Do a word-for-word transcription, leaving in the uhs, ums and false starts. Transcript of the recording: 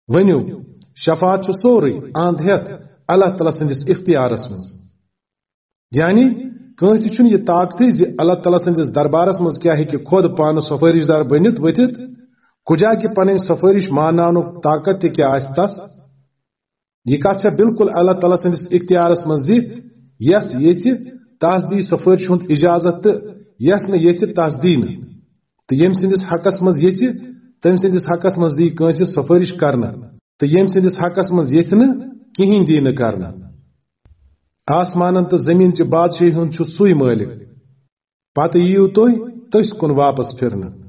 ؤنِو، شفاعت چھُ سورُے اند ہیتھ اللہ تعالیٰ سٕنٛدِس اختیارس منٛز۔ یعنی کٲنٛسہِ چھُنہٕ یہِ طاقتٕے زِ اللہ تعالیٰ سٕنٛدِس دربارس منٛز کیٛاہ ہیٚکہِ خۄد پانہٕ سفٲرِش دار بٔنِتھ ؤتھِتھ، کُجا کہِ پنٕنۍ سفٲرِش مانناونُک طاقت تہِ کیٛاہ آسہِ تس۔ یہِ کتھ چھےٚ بالکل اللہ تعالیٰ سٕنٛدِس اختیارس منٛز زِ یس یژھِ تس دی سفٲرِش ہُنٛد اجازت تہٕ یس نہٕ یژھِ تس دی نہٕ۔ تہٕ ییٚمہِ سٕنٛدِس حقس منٛز یژھِ، تٔمۍ سٕنٛدِس حقس منٛز دی کٲنٛسہِ سفٲرِش کرنہٕ، تہٕ ییٚمہِ سٕنٛدِس حقس منٛز یژھِ نہٕ، کِہیٖنۍ دی نہٕ کرنہٕ۔ آسمانن تہٕ زٔمیٖن چہِ بادشاہی ہُنٛد چھُ سُے مٲلِک۔ پتہٕ یِیِو تُہۍ تٔسۍ کُن واپس پھِرنہٕ۔